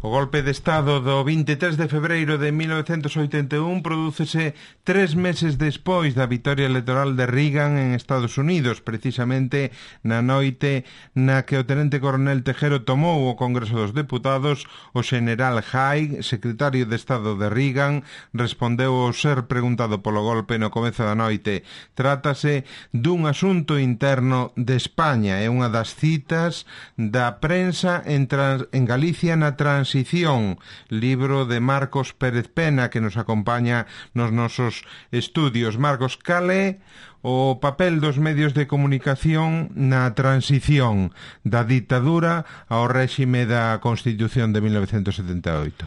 O golpe de Estado do 23 de febreiro de 1981 prodúcese 3 meses despois da vitoria electoral de Reagan en Estados Unidos, precisamente na noite na que o tenente coronel Tejero tomou o Congreso dos Deputados. O xeneral Haig, secretario de Estado de Reagan, respondeu ao ser preguntado polo golpe no comezo da noite: trátase dun asunto interno de España. É unha das citas da prensa en Galicia na transición, libro de Marcos Pérez Pena, que nos acompaña nos nosos estudios. Marcos, cal é o papel dos medios de comunicación na transición da ditadura ao réxime da Constitución de 1978?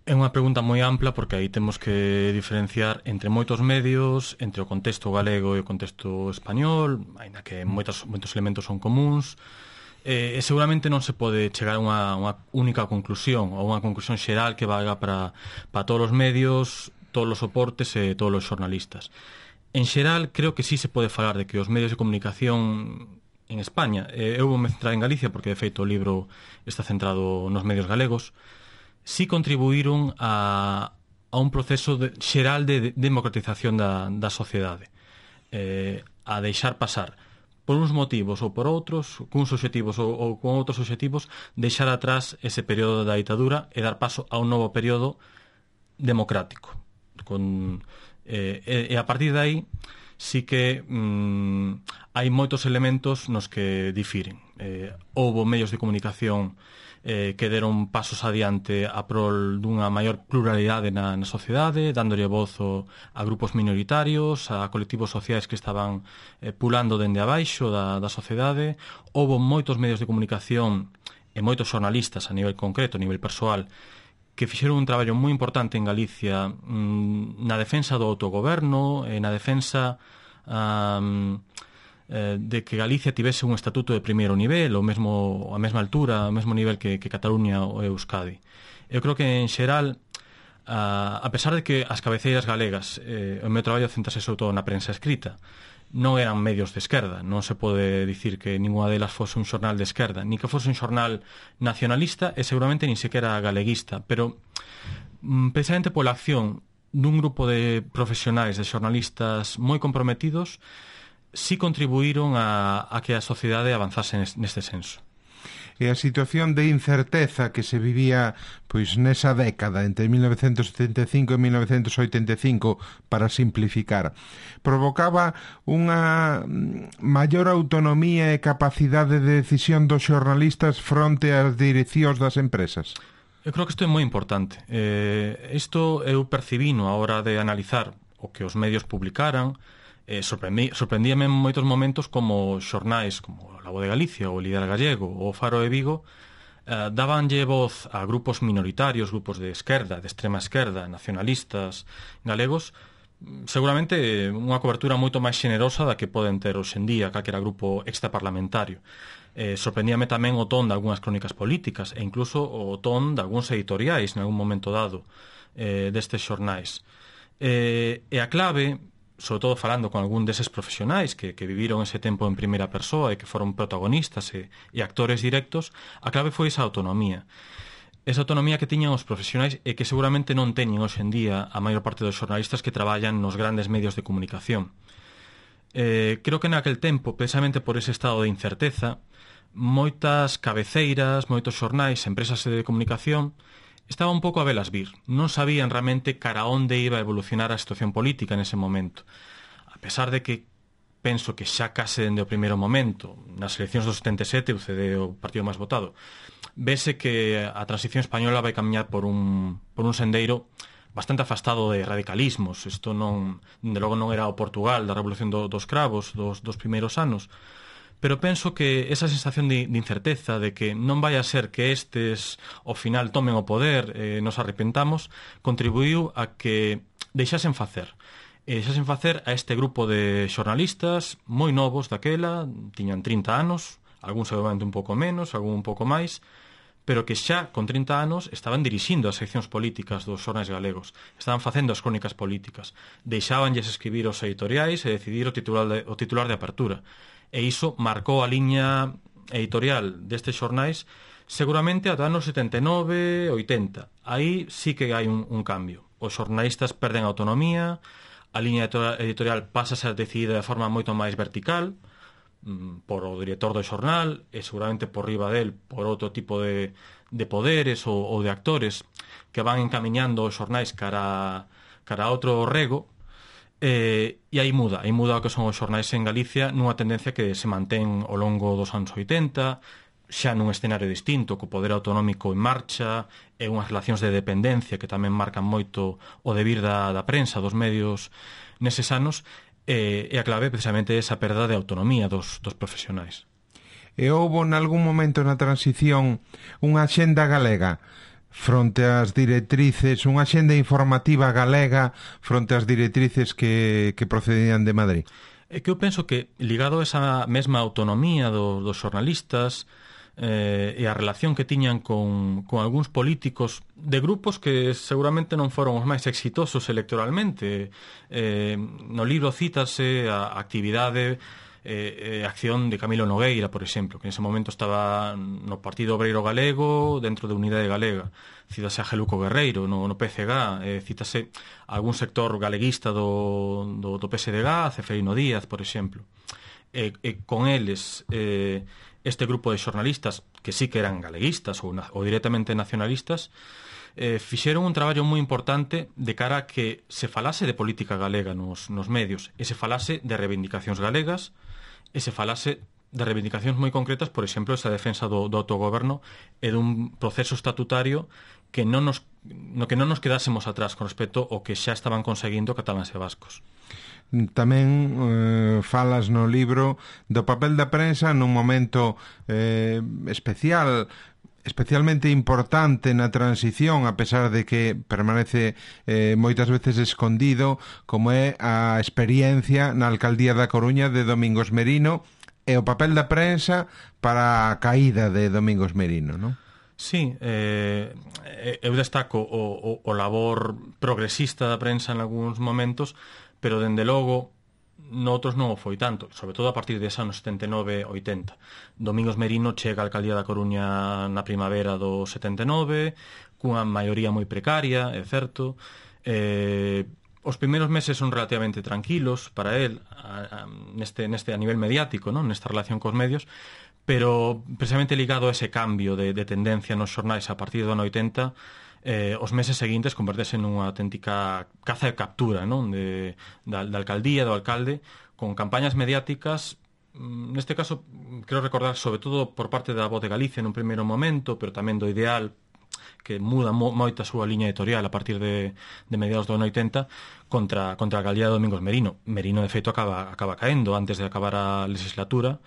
É unha pregunta moi ampla, porque aí temos que diferenciar entre moitos medios, entre o contexto galego e o contexto español, aínda que moitos elementos son comuns. E seguramente non se pode chegar a unha única conclusión, ou unha conclusión xeral que valga para todos os medios, todos os soportes e todos os xornalistas. En xeral, creo que sí se pode falar de que os medios de comunicación en España, eu vou me centrar en Galicia porque de feito o libro está centrado nos medios galegos, sí contribuíron a un proceso xeral de democratización da sociedade, a deixar pasar por uns motivos ou por outros, cuns obxectivos ou con outros obxectivos, deixar atrás ese período da ditadura e dar paso a un novo período democrático. E a partir de aí sí que hai moitos elementos nos que difiren. Houbo medios de comunicación que deron pasos adiante a prol dunha maior pluralidade na sociedade, dándolle voz a grupos minoritarios, a colectivos sociais que estaban pulando dende abaixo da sociedade. Houbo moitos medios de comunicación e moitos xornalistas a nivel concreto, a nivel persoal, que fixeron un traballo moi importante en Galicia na defensa do autogoberno e na defensa de que Galicia tivese un estatuto de primeiro nivel, a mesma altura, ao mesmo nivel que Cataluña ou Euskadi. Eu creo que, en xeral, a pesar de que as cabeceiras galegas, o meu traballo centrase sobre todo na prensa escrita, non eran medios de esquerda, non se pode dicir que ninguna delas fose un xornal de esquerda, ni que fose un xornal nacionalista e seguramente nin sequera galeguista, pero precisamente pola acción dun grupo de profesionais, de xornalistas moi comprometidos, sí contribuíron a que a sociedade avanzase neste senso. E a situación de incerteza que se vivía pois nesa década entre 1975 e 1985, para simplificar, provocaba unha maior autonomía e capacidade de decisión dos xornalistas fronte ás direccións das empresas? Eu creo que isto é moi importante. Isto eu percibino a hora de analizar o que os medios publicaran. Sorprendíame en moitos momentos como xornais como La Voz de Galicia, o Líder Gallego ou o Faro de Vigo dabanlle voz a grupos minoritarios, grupos de esquerda, de extrema esquerda, nacionalistas galegos, seguramente unha cobertura moito máis xenerosa da que poden ter hoxendía calquera grupo extraparlamentario. Sorprendíame tamén o ton de algunhas crónicas políticas e incluso o ton de algúns editoriais en algún momento dado destes xornais. E a clave, sobre todo falando con algún deses profesionais que viviron ese tempo en primeira persoa e que foron protagonistas e actores directos, a clave foi esa autonomía. Esa autonomía que tiñan os profesionais e que seguramente non teñen hoxe en día a maior parte dos xornalistas que traballan nos grandes medios de comunicación. Creo que naquel tempo, precisamente por ese estado de incerteza, moitas cabeceiras, moitos xornais, empresas de comunicación estaba un pouco a velas vir. Non sabían realmente cara onde iba a evolucionar a situación política nese momento. A pesar de que penso que xa case dende o primeiro momento, nas eleccións do 77, o CD o partido máis votado, vese que a transición española vai camiñar por un sendeiro bastante afastado de radicalismos. Isto non, de logo non era o Portugal da Revolución dos Cravos dos primeiros anos, pero penso que esa sensación de incerteza, de que non vai a ser que estes ao final tomen o poder e nos arrepentamos, contribuiu a que deixasen facer a este grupo de xornalistas moi novos daquela, tiñan 30 anos, algúns seguramente un pouco menos, algún un pouco máis, pero que xa con 30 anos estaban dirixindo as seccións políticas dos xornais galegos, estaban facendo as crónicas políticas, deixábanlles escribir os editoriais e decidir o titular de apertura. E iso marcou a liña editorial destes xornais seguramente ata anos 79, 80. Aí sí que hai un cambio. Os xornalistas perden autonomía, a liña editorial pasa a ser decidida de forma moito máis vertical por o director do xornal e seguramente por riba del por outro tipo de poderes ou de actores que van encamiñando os xornais cara a outro rego. E aí muda o que son os xornais en Galicia nunha tendencia que se mantén ao longo dos anos 80, xa nun escenario distinto, co poder autonómico en marcha e unhas relacións de dependencia que tamén marcan moito o devir da prensa, dos medios neses anos, e a clave precisamente é esa perda de autonomía dos profesionais. E houbo nalgún momento na transición unha axenda galega fronte ás directrices, unha axenda informativa galega fronte ás directrices que procedían de Madrid? É que eu penso que, ligado a esa mesma autonomía dos xornalistas e a relación que tiñan con algúns políticos de grupos que seguramente non foron os máis exitosos electoralmente, no libro cítase a actividade acción de Camilo Nogueira, por exemplo, que en ese momento estaba no Partido Obreiro Galego, dentro de Unidade Galega. Cítase a Geluco Guerreiro no PCG, cítase algún sector galeguista do PSDG, Ceferino Díaz, por exemplo. Con eles, este grupo de xornalistas, que sí que eran galeguistas ou directamente nacionalistas, fixeron un traballo moi importante de cara a que se falase de política galega nos medios, e se falase de reivindicacións galegas, e se falase de reivindicacións moi concretas, por exemplo, esa defensa do autogoberno e dun proceso estatutario que non nos quedásemos atrás con respecto ao que xa estaban conseguindo cataláns e vascos. Tamén falas no libro do papel da prensa nun momento especialmente importante na transición, a pesar de que permanece moitas veces escondido, como é a experiencia na alcaldía da Coruña de Domingos Merino e o papel da prensa para a caída de Domingos Merino, non? Sí, eu destaco o labor progresista da prensa en algúns momentos, pero dende logo noutros non o foi tanto, sobre todo a partir de anos 79-80. Domingos Merino chega á alcaldía da Coruña na primavera do 79, cunha maioría moi precaria, é certo. Os primeiros meses son relativamente tranquilos para él neste a nivel mediático, non? Nesta relación cos medios, pero precisamente ligado a ese cambio de tendencia nos xornais a partir do ano 80, os meses seguintes convertese nunha auténtica caza de captura, non? Da alcaldía, do alcalde, con campañas mediáticas, neste caso, quero recordar, sobre todo por parte da Voz de Galicia nun primeiro momento, pero tamén do Ideal, que muda moito a súa liña editorial a partir de mediados do ano 80 contra a alcaldía de Domingos Merino. Merino, de feito, acaba caendo antes de acabar a legislatura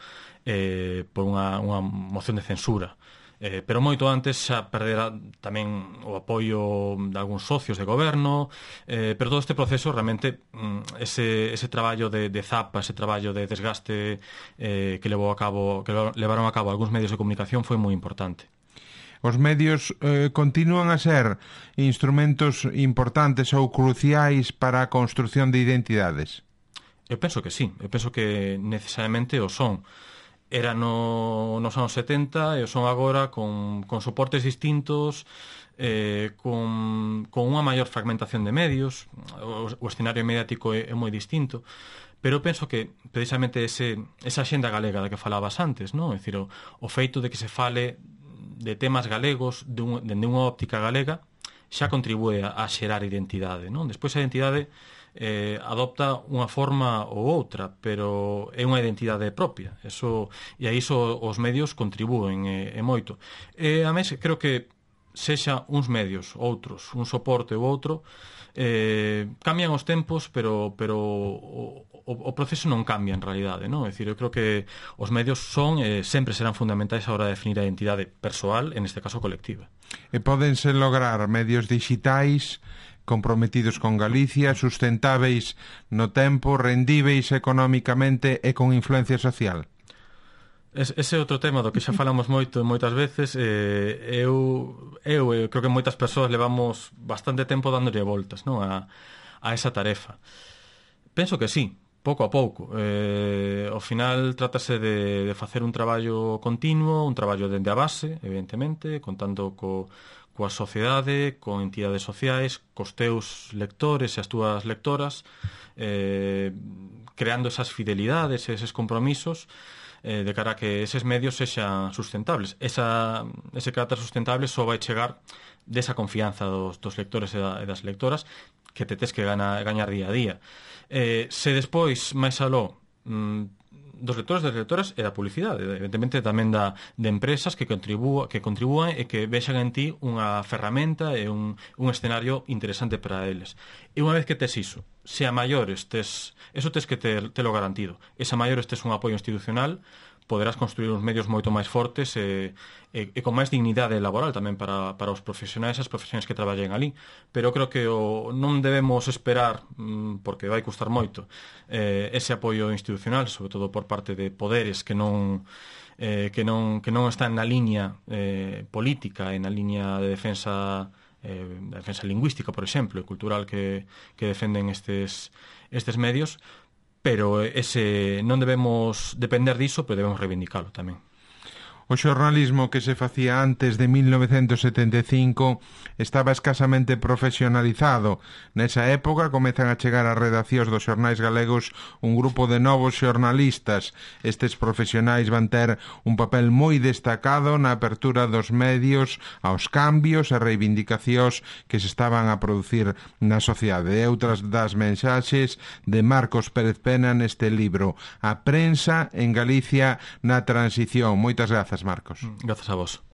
por unha moción de censura. Pero moito antes xa perdera tamén o apoio de algúns socios de goberno, pero todo este proceso realmente ese traballo de zapa, ese traballo de desgaste que levaron a cabo algúns medios de comunicación foi moi importante. Os medios continúan a ser instrumentos importantes ou cruciais para a construción de identidades? Eu penso que sí, eu penso que necesariamente o son. Era nos anos 70 e o son agora con soportes distintos, con unha maior fragmentación de medios, o escenario mediático é moi distinto, pero penso que precisamente esa axenda galega da que falabas antes, non? É dicir, o feito de que se fale de temas galegos dende unha óptica galega xa contribúe a xerar identidade, non? Despois a identidade adopta unha forma ou outra, pero é unha identidade propia. E a iso os medios contribúen moito. E a mes creo que sexa uns medios, outros, un soporte ou outro, cambian os tempos, pero o proceso non cambia en realidade, non? É dicir, eu creo que os medios son e sempre serán fundamentais a hora de definir a identidade persoal, en este caso colectiva. E pódense lograr medios digitais comprometidos con Galicia, sustentáveis no tempo, rendíveis económicamente e con influencia social? Ese é outro tema do que xa falamos moito moitas veces. Eu creo que moitas persoas levamos bastante tempo dándolle voltas, non? A esa tarefa. Penso que sí, Pouco a pouco. Ao final trátase de facer un traballo continuo, un traballo dende a base, evidentemente, contando coa sociedade, con entidades sociais, cos teus lectores e as túas lectoras, creando esas fidelidades e eses compromisos de cara a que eses medios sexan sustentables. Ese carácter sustentable só vai chegar desa confianza dos lectores e das lectoras que te tes que gañar día a día. Se despois, máis aló, dos lectores, das lectoras e da publicidade, evidentemente tamén de empresas que contribúan e que vexan en ti unha ferramenta e un escenario interesante para eles. E unha vez que tes iso, se a maiores eso tes que telo garantido. E se a maiores tes un apoio institucional, poderás construir uns medios moito máis fortes e con máis dignidade laboral tamén para os profesionais e as profesiones que traballen ali. Pero creo que non debemos esperar, porque vai custar moito, ese apoio institucional, sobre todo por parte de poderes que non están na liña política e na liña de defensa lingüística, por exemplo, e cultural que defenden estes medios. Pero non debemos depender diso, pero debemos reivindicalo tamén. O xornalismo que se facía antes de 1975 estaba escasamente profesionalizado. Nesa época comezan a chegar ás redaccións dos xornais galegos un grupo de novos xornalistas. Estes profesionais van ter un papel moi destacado na apertura dos medios aos cambios e reivindicacións que se estaban a producir na sociedade. E outras das mensaxes de Marcos Pérez Pena neste libro, A prensa en Galicia na transición. Moitas grazas, Marcos. Grazas a vos.